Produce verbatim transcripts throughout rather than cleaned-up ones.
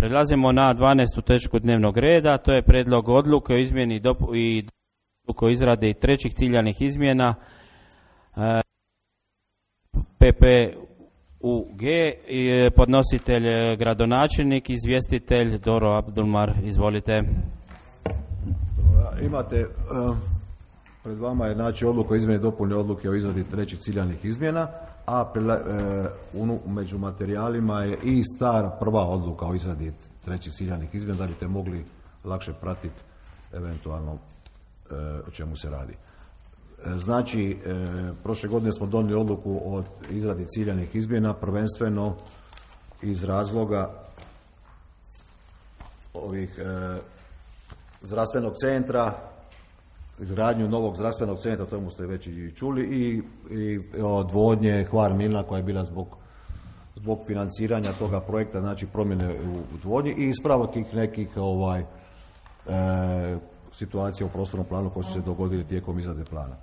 Prelazimo na dvanaestu točku dnevnog reda, to je prijedlog odluke o izmjeni dopu- i odluke o izradi trećih ciljanih izmjena e, P P U G, i podnositelj e, gradonačelnik, izvjestitelj Doro Abdulmar, izvolite. Imate, uh, pred vama je znači odluka o izmjeni i dopuni odluke o izradi trećih ciljanih izmjena, a prela, uh, u, među materijalima je i stara prva odluka o izradi trećih ciljanih izmjena, da biste mogli lakše pratiti eventualno uh, o čemu se radi. Uh, znači, uh, prošle godine smo donijeli odluku o izradi ciljanih izmjena, prvenstveno iz razloga ovih uh, zdravstvenog centra, izgradnju novog zdravstvenog centra, to ste već i čuli, i, i odvodnje Hvar Milna koja je bila zbog, zbog financiranja toga projekta, znači promjene u odvodnji i ispravak tih nekih ovaj, e, situacija u prostornom planu koje su se dogodili tijekom izrade plana.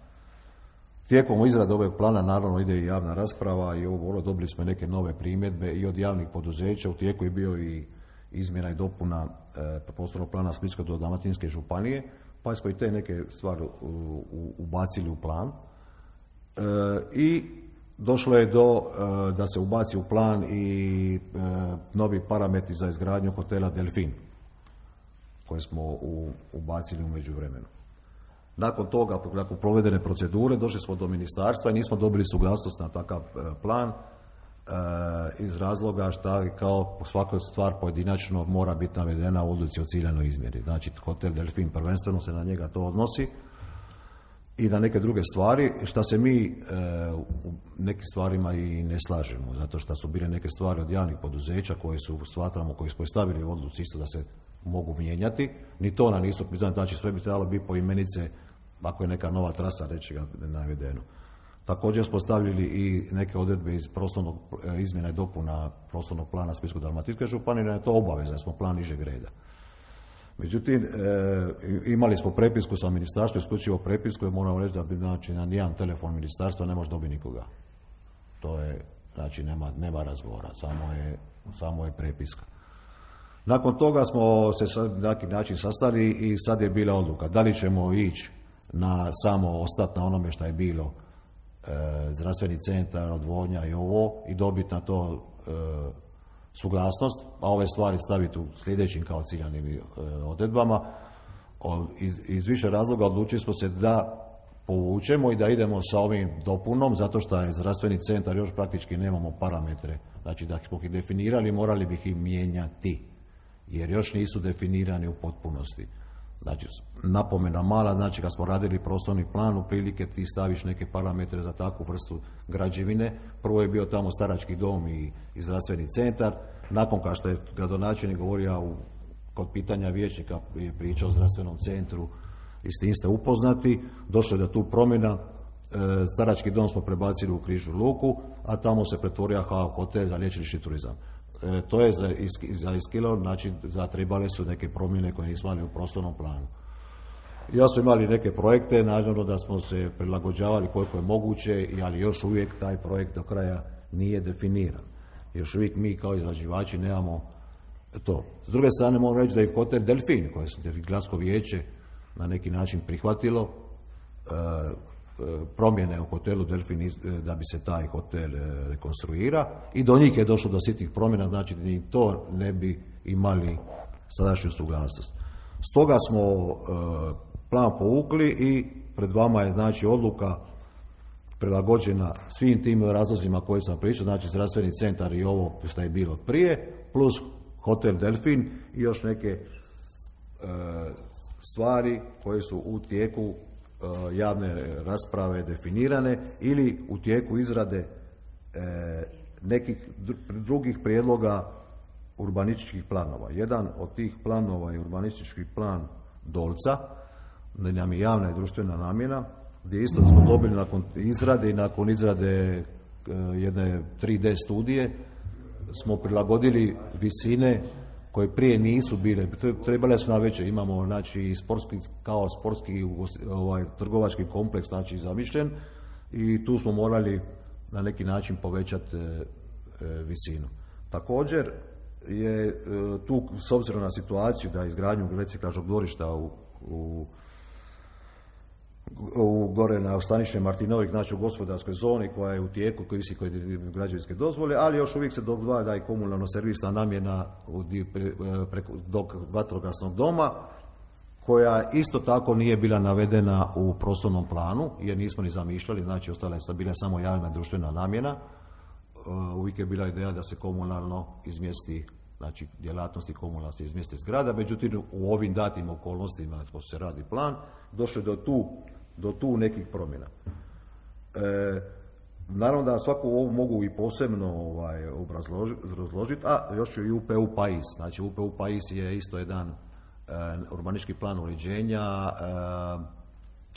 Tijekom izrade ovog plana naravno ide i javna rasprava i ovo dobili smo neke nove primjedbe i od javnih poduzeća, u tijeku je bio i izmjena i dopuna e, prostornog plana Splitsko-dalmatinske županije, pa smo i te neke stvari u, u, ubacili u plan. E, I došlo je do e, da se ubaci u plan i e, novi parametri za izgradnju hotela Delfin, koje smo u, ubacili u međuvremenu. Nakon toga, nakon provedene procedure, došli smo do ministarstva i nismo dobili suglasnost na takav e, plan, iz razloga što kao svaka stvar pojedinačno mora biti navedena u odluci o ciljanoj izmjeri. Znači, hotel Delfin prvenstveno se na njega to odnosi i na neke druge stvari, što se mi e, u nekim stvarima i ne slažemo, zato što su bile neke stvari od javnih poduzeća koje su stvaramo, koje smo stavili u odluci isto da se mogu mijenjati. Ni to nam nisu, znači sve bi trebalo biti po imenice, ako je neka nova trasa, reći ga navedeno. Također smo stavili i neke odredbe iz prostornog izmjena i dopuna prostornog plana Splitsko-dalmatinske županije, da je to obaveza, da smo plan nižeg reda. Međutim, e, imali smo prepisku sa ministarstvom, isključivo prepisku, i moramo reći da bi, znači, na nijedan telefon ministarstva ne može dobiti nikoga. To je, znači, nema, nema razgovora, samo je, samo je prepiska. Nakon toga smo se na neki način sastali i sad je bila odluka da li ćemo ići na samo ostati na onome što je bilo, zdravstveni centar, odvodnja i ovo, i dobiti na to e, suglasnost, a ove stvari staviti u sljedećim kao ciljanim e, odredbama. O, iz, iz više razloga odlučili smo se da povučemo i da idemo sa ovim dopunom, zato što je zdravstveni centar, još praktički nemamo parametre, znači da smo ih definirali, morali bi ih mijenjati, jer još nisu definirani u potpunosti. Znači, napomena mala, znači kad smo radili prostorni plan, u prilike ti staviš neke parametre za takvu vrstu građevine. Prvo je bio tamo starački dom i, i zdravstveni centar. Nakon kao što je gradonačelnik govorio u, kod pitanja vijećnika, je pričao o zdravstvenom centru i s tim ste upoznati, došlo je do tu promjena. E, starački dom smo prebacili u Križu luku, a tamo se pretvorio hotel za liječnički turizam. E, to je za, za iskilo, znači zatrebale su neke promjene koje nismo imali u prostornom planu. Ja smo imali neke projekte, naravno da smo se prilagođavali koliko je moguće, ali još uvijek taj projekt do kraja nije definiran. Još uvijek mi kao izrađivači nemamo to. S druge strane moram reći da je hotel Delfin, koje se Gradsko vijeće na neki način prihvatilo, e, promjene u hotelu Delfin da bi se taj hotel rekonstruira, i do njih je došlo do sitnih promjena, znači da ni to ne bi imali sadašnju suglasnost. Stoga smo e, plan povukli i pred vama je, znači, odluka prilagođena svim tim razlozima koje sam pričao, znači zdravstveni centar i ovo što je bilo prije, plus hotel Delfin i još neke e, stvari koje su u tijeku javne rasprave definirane ili u tijeku izrade e, nekih drugih prijedloga urbanističkih planova. Jedan od tih planova je urbanistički plan Dolca, gdje nam je javna i društvena namjena, gdje isto smo dobili nakon izrade i nakon izrade e, jedne tri D studije smo prilagodili visine koje prije nisu bile, trebale su na veće. Imamo, znači, sportski, kao sportski ovaj, trgovački kompleks, znači, zamišljen, i tu smo morali na neki način povećati e, e, visinu. Također, je tu, s obzirom na situaciju da izgradnju reciklažnog dvorišta u, u, u gore na Staniše Martinovik, znači u gospodarskoj zoni koja je u tijeku, koji visi kod građevinske dozvole, ali još uvijek se dodvaja i komunalno servisna namjena preko dok vatrogasnog doma, koja isto tako nije bila navedena u prostornom planu, jer nismo ni zamišljali, znači ostala je bila samo javna društvena namjena. Uvijek je bila ideja da se komunalno izmjesti, znači djelatnosti komunalno se izmjesti zgrada, međutim u ovim datim okolnostima ko se radi plan, došlo je do tu, do tu nekih promjena. E, naravno da svaku ovu mogu i posebno ovaj, obrazložiti, a još i U P U Pais. Znači U P U Pais je isto jedan e, urbanistički plan uređenja e,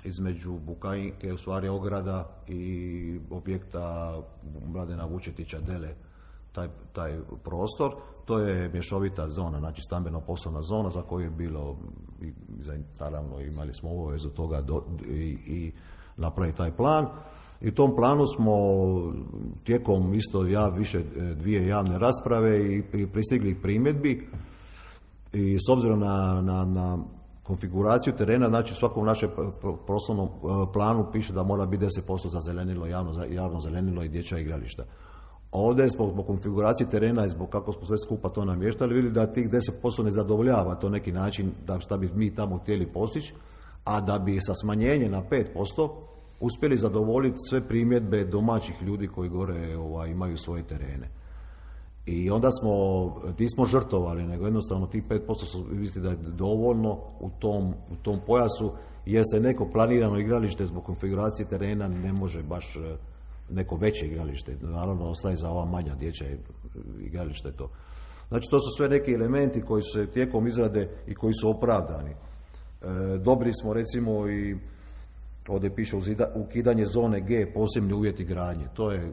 između Bukajinke, u stvari ograda i objekta Mladena Vučetića Dele, taj, taj prostor. To je mješovita zona, znači stambeno-poslovna zona za koju je bilo, i, naravno imali smo obavezu toga do, i, i napraviti taj plan. I u tom planu smo tijekom isto ja, više dvije javne rasprave i, i pristigli primjedbi i s obzirom na, na, na konfiguraciju terena, znači svakom našem prostornom planu piše da mora biti deset posto za zelenilo, javno, javno zelenilo i dječja igrališta. Ovdje zbog, zbog konfiguracije terena i zbog kako smo sve skupa to namještali, vidjeli da tih deset posto ne zadovoljava to neki način da šta bi mi tamo htjeli postići, a da bi sa smanjenjem na pet posto uspjeli zadovoljiti sve primjedbe domaćih ljudi koji gore ovaj, imaju svoje terene. I onda smo, nismo žrtovali, nego jednostavno tih pet posto su vidjeti da je dovoljno u tom, u tom pojasu, jer se neko planirano igralište zbog konfiguracije terena ne može baš neko veće igralište, naravno ostaje za ova manja dječja igralište to. Znači to su sve neki elementi koji su se tijekom izrade i koji su opravdani. E, dobili smo recimo i ovdje piše ukidanje zone G, posebni uvjeti gradnje. To je e,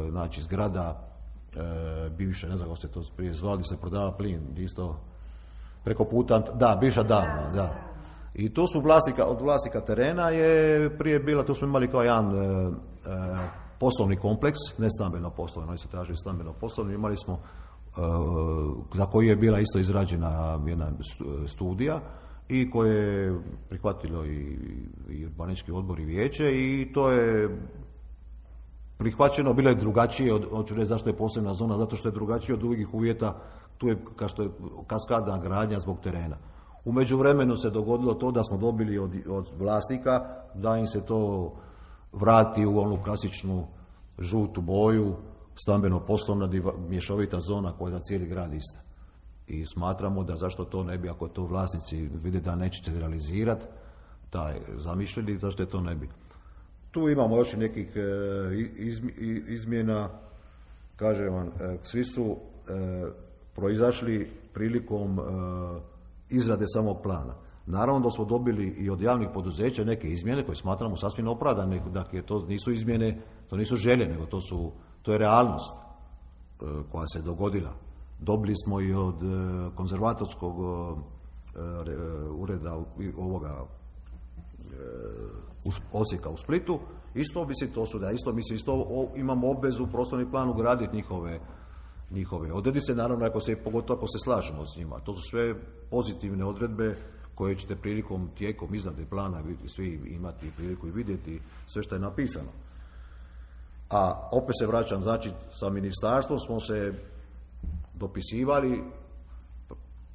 znači zgrada e, bivše, ne znam kako se to prije zvali, se prodava plin, isto preko puta, da, bivša davna, da. I to su vlasnika, od vlasnika terena je prije bila, tu smo imali kao jedan e, e, poslovni kompleks, ne stambeno poslovno, oni su tražili stambeno poslovno, imali smo e, za koji je bila isto izrađena jedna studija i koje je prihvatilo i, i urbanistički odbor i vijeće i to je prihvaćeno, bilo je drugačije, od, hoću reći zašto je posebna zona, zato što je drugačije od drugih uvjeta, tu je kao što je kaskadna gradnja zbog terena. U međuvremenu se dogodilo to da smo dobili od, od vlasnika da im se to vrati u onu klasičnu žutu boju, stambeno-poslovna mješovita zona koja je za cijeli grad ista. I smatramo da zašto to ne bi, ako to vlasnici vide da neće se realizirati, taj zamišljeni, zašto je to ne bi. Tu imamo još i nekih izmjena, kažem vam, svi su proizašli prilikom izrade samog plana. Naravno da smo dobili i od javnih poduzeća neke izmjene koje smatramo sasvim opravdane, dakle to nisu izmjene, to nisu želje, nego to su, to je realnost koja se dogodila. Dobili smo i od konzervatorskog ureda ovoga Osijeka u Splitu, isto misli to su da isto misli isto imamo obvezu u prostorni plan ugraditi njihove njihove odrednice, naravno ako se, pogotovo ako se slažemo s njima. To su sve pozitivne odredbe koje ćete prilikom tijekom izrade plana svi imati priliku i vidjeti sve što je napisano. A opet se vraćam, znači sa ministarstvom smo se dopisivali,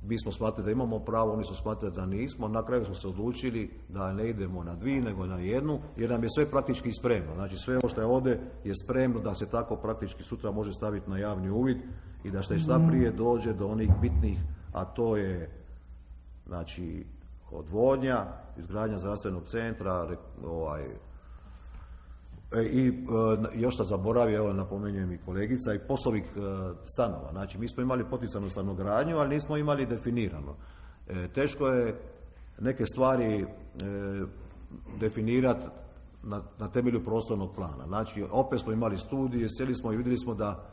mi smo smatrali da imamo pravo, oni su smatrali da nismo, na kraju smo se odlučili da ne idemo na dvije nego na jednu, jer nam je sve praktički spremno. Znači sve ovo što je ovdje je spremno da se tako praktički sutra može staviti na javni uvid i da što šta prije dođe do onih bitnih, a to je znači odvodnja, izgradnja zdravstvenog centra, ovaj, i još što zaboravio, evo napomenjujem i kolegica, i poslovih stanova. Znači mi smo imali poticanu stanogradnju, ali nismo imali definirano. E, teško je neke stvari e, definirati na, na temelju prostornog plana. Znači opet smo imali studije, sjeli smo i vidjeli smo da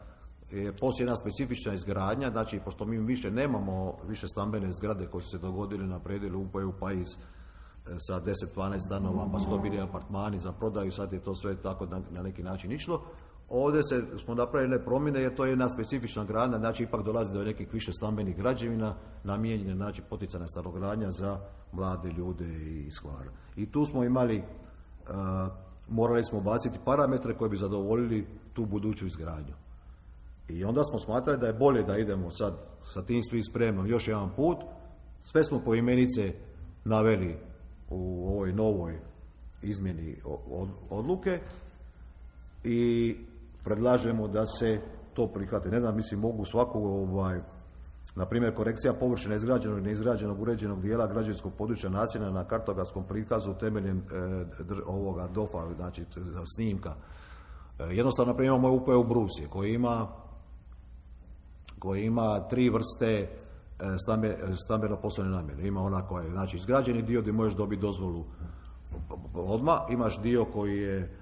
je poslije jedna specifična izgradnja, znači pošto mi više nemamo više stambene zgrade koje su se dogodile na predjelu U P U Pais sa deset dvanaest stanova, pa su to bili apartmani za prodaju, sad je to sve tako na, na neki način išlo. Ovdje se, smo napravili promjene jer to je jedna specifična gradnja, znači ipak dolazi do nekih više stambenih građevina, namijenjene znači poticajna stanogradnja za mlade ljude iz Hvara. I tu smo imali, uh, morali smo baciti parametre koji bi zadovoljili tu buduću izgradnju. I onda smo smatrali da je bolje da idemo sad sa tim svim spremnom još jedan put. Sve smo poimenice naveli u ovoj novoj izmjeni odluke i predlažemo da se to prihvati. Ne znam, mislim, mogu svakog, ovaj, na primjer, korekcija površine izgrađenog i neizgrađenog uređenog dijela građevinskog područja naselja na kartografskom prikazu temeljem e, dr, ovoga D O F-a, znači snimka. E, jednostavno, na primjer, imamo U P U Brusje koji ima koji ima tri vrste stambe, stambeno poslovne namjene. Ima ona koja je, znači, izgrađeni dio gdje možeš dobiti dozvolu odmah, imaš dio koji je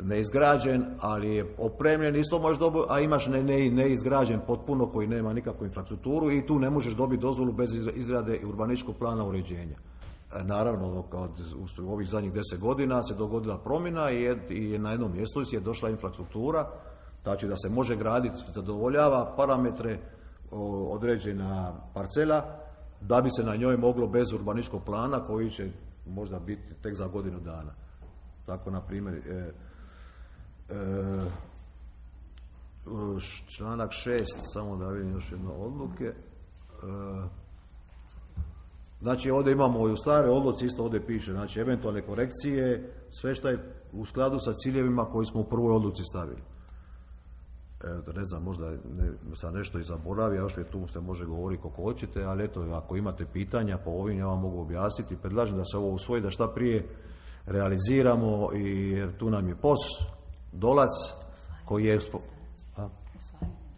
neizgrađen, ali je opremljen, isto možeš dobiti, a imaš ne, ne, neizgrađen potpuno koji nema nikakvu infrastrukturu i tu ne možeš dobiti dozvolu bez izrade urbanističkog plana uređenja. E, naravno, od, u ovih zadnjih deset godina se dogodila promjena i, je, i na jednom mjestu je došla infrastruktura, znači da se može graditi, zadovoljava parametre o, određena parcela, da bi se na njoj moglo bez urbanističkog plana koji će možda biti tek za godinu dana. Tako, na primjer, e, e, članak šest, samo da vidim još jedno odluke. E, znači, ovdje imamo i u stare odluci, isto ovdje piše, znači, eventualne korekcije, sve što je u skladu sa ciljevima koji smo u prvoj odluci stavili. E, ne znam, možda ne, sam nešto i zaboravio, još je tu se može govoriti kako hoćete, ali eto, ako imate pitanja po ovim, ja vam mogu objasniti. Predlažem da se ovo usvoji, da šta prije realiziramo, i jer tu nam je P O S, Dolac, koji je a?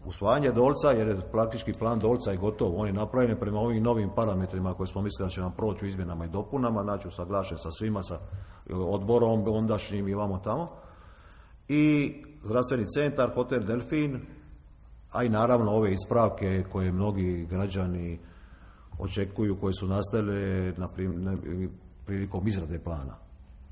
usvajanje Dolca, jer je praktički plan Dolca je gotov, on je napravljen prema ovim novim parametrima koje smo mislili da će nam proći u izmjenama i dopunama, znači usaglašen sa svima, sa odborom ondašnjim i vamo tamo. I zdravstveni centar, hotel Delfin, a i naravno ove ispravke koje mnogi građani očekuju, koje su nastale na prim, prilikom izrade plana.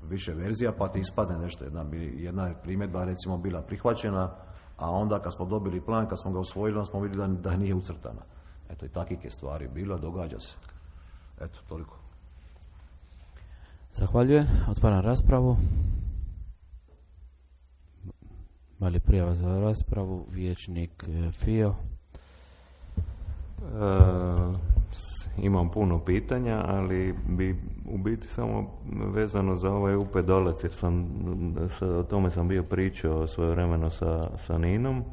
Više verzija, pa ti ispadne nešto. Jedna, jedna je primjedba recimo bila prihvaćena, a onda kad smo dobili plan, kad smo ga usvojili, onda smo vidjeli da, da nije ucrtana. Eto, i takvih je stvari bilo, događa se. Eto, toliko. Zahvaljujem. Otvaram raspravu. Mali prijava za raspravu, vijećnik Fio. E, imam puno pitanja, ali bi u biti samo vezano za ovaj U P Dolac, jer sam, o tome sam bio pričao svojevremeno sa, sa Ninom.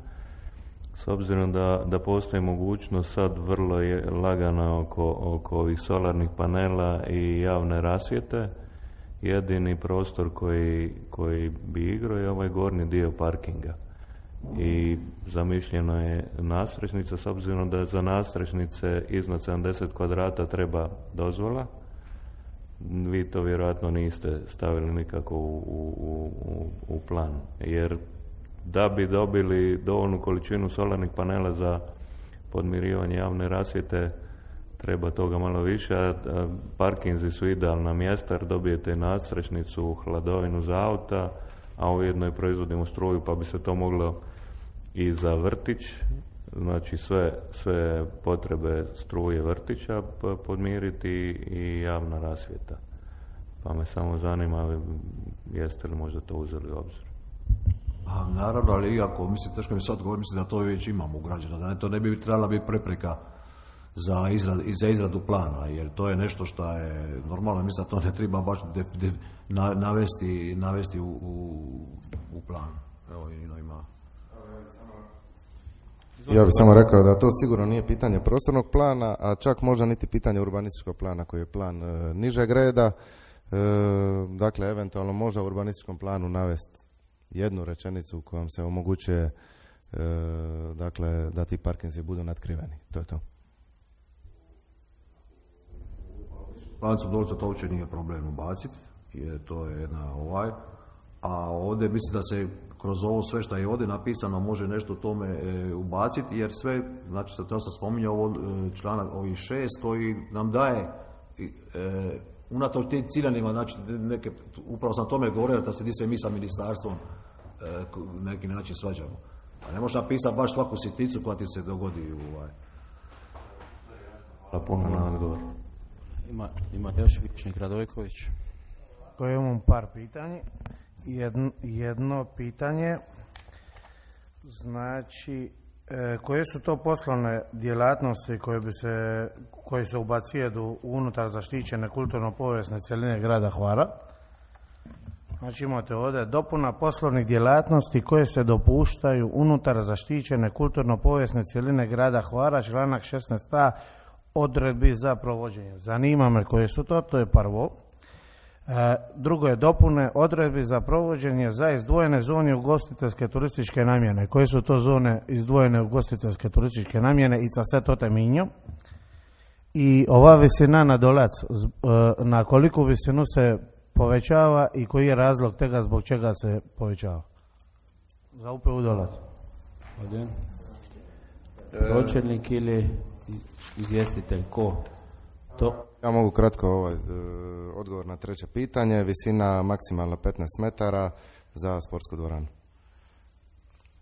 S obzirom da, da postoji mogućnost sad vrlo je lagana oko, oko ovih solarnih panela i javne rasvjete, jedini prostor koji, koji bi igrao je ovaj gornji dio parkinga. I zamišljeno je nadstrešnica, s obzirom da za nadstrešnice iznad sedamdeset kvadrata treba dozvola. Vi to vjerojatno niste stavili nikako u, u, u, u plan. Jer da bi dobili dovoljnu količinu solarnih panela za podmirivanje javne rasvjete, treba toga malo više, a parkinzi su idealna mjesta jer dobijete nadstrešnicu, hladovinu za auta, a ujedno i proizvodimo struju, pa bi se to moglo i za vrtić, znači sve, sve potrebe struje vrtića podmiriti i javna rasvjeta. Pa me samo zanima, jeste li možda to uzeli u obzir? A, naravno, ali iako, mislim, teško mi sad govorim, mislim da to već imamo ugrađeno, da ne, to ne bi trebala biti prepreka za, izrad, za izradu plana, jer to je nešto što je normalno, mislim da to ne treba baš de, de, na, navesti, navesti u, u, u plan. Evo, Ino ima. Ja bih samo rekao da to sigurno nije pitanje prostornog plana, a čak možda niti pitanje urbanističkog plana koji je plan e, nižeg reda. E, dakle, eventualno možda u urbanističkom planu navesti jednu rečenicu kojom se omogućuje e, dakle, da ti parkinzi budu natkriveni. To je to. Plancu Dolca to uopće nije problem ubaciti, jer to je jedna ovaj, a ovdje mislim da se kroz ovo sve što je ovdje napisano može nešto tome e, ubaciti, jer sve, znači to sam spominjao ovo, članak ovih šest koji nam daje e, unatoč tim ciljanima, znači neke, upravo sam tome govorio da se di se mi sa ministarstvom na neki način svađamo. A ne možeš napisati baš svaku sitnicu koja ti se dogodi. Ovaj. Hvala puno na odgovor. Ima, ima još Vičnik Radojković. Koje imam par pitanja. Jedno, jedno pitanje, znači, e, koje su to poslovne djelatnosti koje bi se, koje se ubacijedu unutar zaštićene kulturno-povijesne cjeline grada Hvara? Znači imate ovdje dopuna poslovnih djelatnosti koje se dopuštaju unutar zaštićene kulturno-povijesne cjeline grada Hvara, članak šesnaest a, odredbi za provođenje. Zanima me koje su to, to je prvo. E, drugo je dopune odredbi za provođenje za izdvojene zone ugostiteljske turističke namjene. Koje su to zone izdvojene ugostiteljske turističke namjene i za sve to teminjo? I ova visina na dolac, e, na koliku visinu se povećava i koji je razlog tega zbog čega se povećava? Za U P U dolac. Pročelnik ili izvjestitelj, ko? To? Ja mogu kratko ovaj, odgovor na treće pitanje. Visina maksimalno petnaest metara za sportsku dvoranu.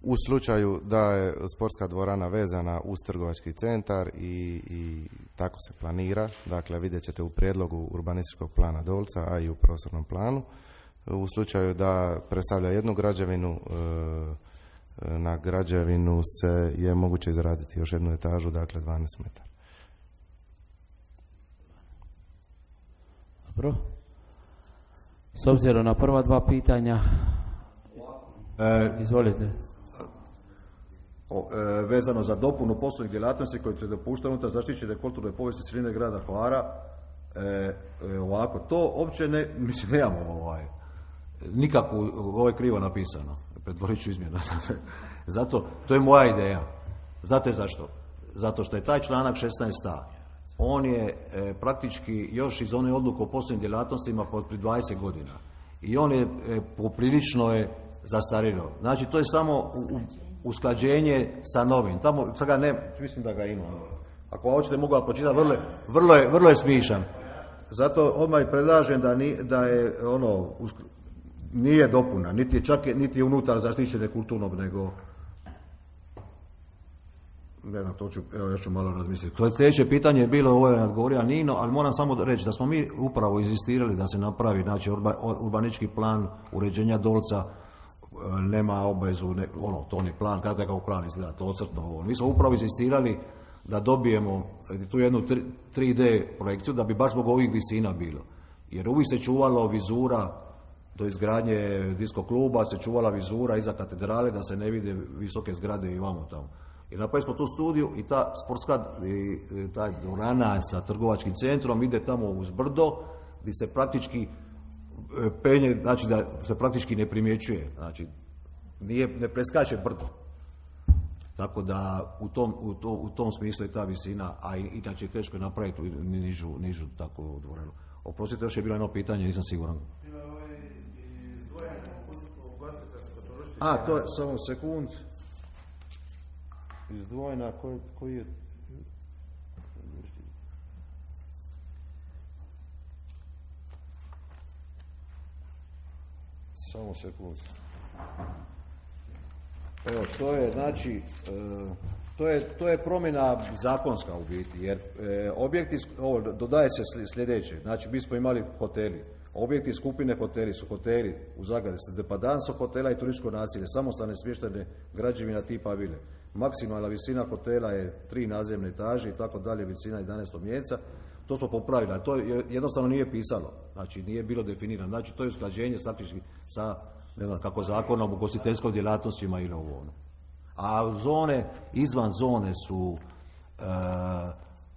U slučaju da je sportska dvorana vezana uz trgovački centar i, i tako se planira, dakle vidjet ćete u prijedlogu urbanističkog plana Dolca, a i u prostornom planu. U slučaju da predstavlja jednu građevinu, na građevinu se je moguće izraditi još jednu etažu, dakle dvanaest metara. Dobro. S obzirom na prva dva pitanja, e, izvolite. O, e, vezano za dopunu poslovnih djelatnosti koje se dopuštaju unutar zaštićene kulturne povijesne cjeline grada Hvara, e, e, ovako, to uopće ne, mislim, nemamo ovaj, nikako, ovo je krivo napisano, pretvorit ću izmjenu. Zato, to je moja ideja. Znate zašto? Zato što je taj članak šesnaest a, on je e, praktički još iz one odluke o poslovnim djelatnostima pod pri dvadeset godina. I on je e, poprilično je zastarilo. Znači, to je samo u, u, usklađenje sa novim. Tamo, sad ga ne, mislim da ga ima. Ako hoćete mogu ga počitati, vrlo, vrlo, je, vrlo je smišan. Zato odmah predlažem da, ni, da je ono, usk, nije dopuna, niti je čak niti je unutar zaštićene kulturnog, nego ne znam, to ću, evo još ću malo razmisliti. To je sljedeće pitanje je bilo, ovo je odgovorio Nino, ali moram samo reći da smo mi upravo inzistirali da se napravi, znači, urba, urbanički plan uređenja Dolca, nema obavezu, ne, ono, to on je plan, kada je kao plan izgleda, to ocrtno ovo. Mi smo upravo insistirali da dobijemo tu jednu tri D projekciju, da bi baš zbog ovih visina bilo. Jer uvijek se čuvalo vizura, do izgradnje disko kluba se čuvala vizura iza katedrale, da se ne vide visoke zgrade i vamo tamo. I napravili smo tu studiju i ta sportska, i, ta dvorana sa trgovačkim centrom ide tamo uz brdo, gdje se praktički penje, znači da se praktički ne primjećuje, znači nije, ne preskače brdo. Tako da u tom, u, to, u tom smislu je ta visina, a inače je teško napraviti nižu, nižu takvu dvoranu. Oprostite, još je bilo jedno pitanje, nisam siguran. A, to je, samo sekund. Izdvojena, koji, koji je... Samo sekund. Evo, to je, znači, to je, to je promjena zakonska u biti, jer e, objekti, ovo, dodaje se sljedeće, znači, mi smo imali hoteli, objekti skupine hoteli su hoteli, u zagradi se depadanso hotela i turističko naselje, samostalne smještene građevina tipa vile. Maksimalna visina hotela je tri nazemne etaže i tako dalje, visina jedanaest mjeseca. To smo popravili, ali to jednostavno nije pisalo, znači nije bilo definirano. Znači to je usklađenje sa, ne znam kako, zakonom o ugostiteljskom djelatnostima ili ovo ono. A zone, izvan zone su e,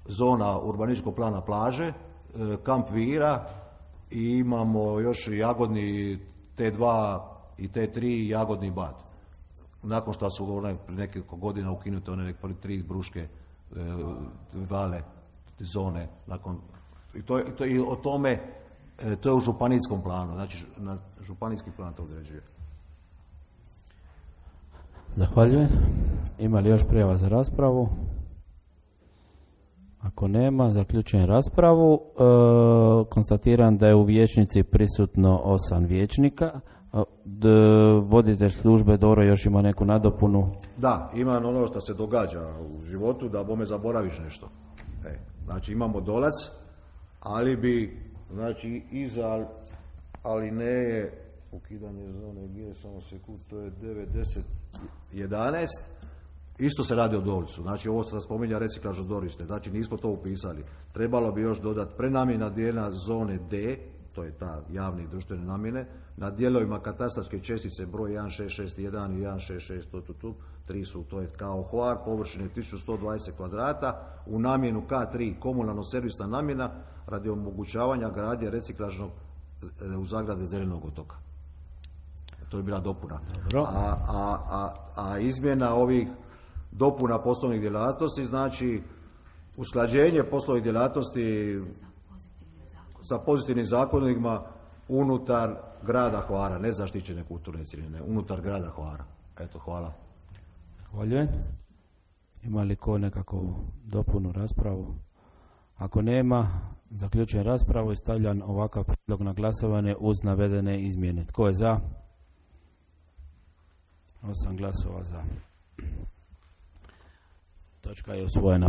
zona urbanističkog plana plaže, e, kamp Vira i imamo još jagodni T dva i T tri i jagodni Bad. Nakon što su one nekoliko godina ukinute one neke tri bruške e, vale zone, nakon, i, to, i, to, i o tome, e, to je u županijskom planu, znači na županijski plan to određuje. Zahvaljujem. Ima li još prijava za raspravu? Ako nema, zaključujem raspravu. E, konstatiram da je u vijećnici prisutno osam vijećnika, A, d, voditelj službe Doro još ima neku nadopunu. Da, imam ono što se događa u životu, da bome zaboraviš nešto. E, znači imamo dolac, ali bi, znači iza alineje, ukidanje zone G, samo sekund, to je devet, deset, jedanaest, isto se radi o dolcu. Znači ovo se spominja reciklažno dvorište, znači nismo to upisali. Trebalo bi još dodati prenamjena dijela zone D, to je ta javne i društvene namjene, na dijelovima katastarske čestice broj jedan šest šest jedan i jedan šest šest, tu, tu, tu, tri su, to je kao Hvar, površine tisuću sto dvadeset kvadrata, u namjenu K tri, komunalno-servisna namjena, radi omogućavanja gradnje reciklažnog u zagrade Zelenog otoka. To je bila dopuna. A, a, a, a izmjena ovih dopuna poslovnih djelatnosti, znači usklađenje poslovnih djelatnosti sa pozitivnim zakonima unutar grada Hvara, ne zaštićene kulturne cjeline, unutar grada Hvara. Eto, hvala. Zahvaljujem. Ima li ko nekakvu dopunu raspravu? Ako nema, zaključujem raspravu i stavljam ovakav prijedlog na glasovanje uz navedene izmjene. Tko je za? Osam glasova za. Točka je usvojena.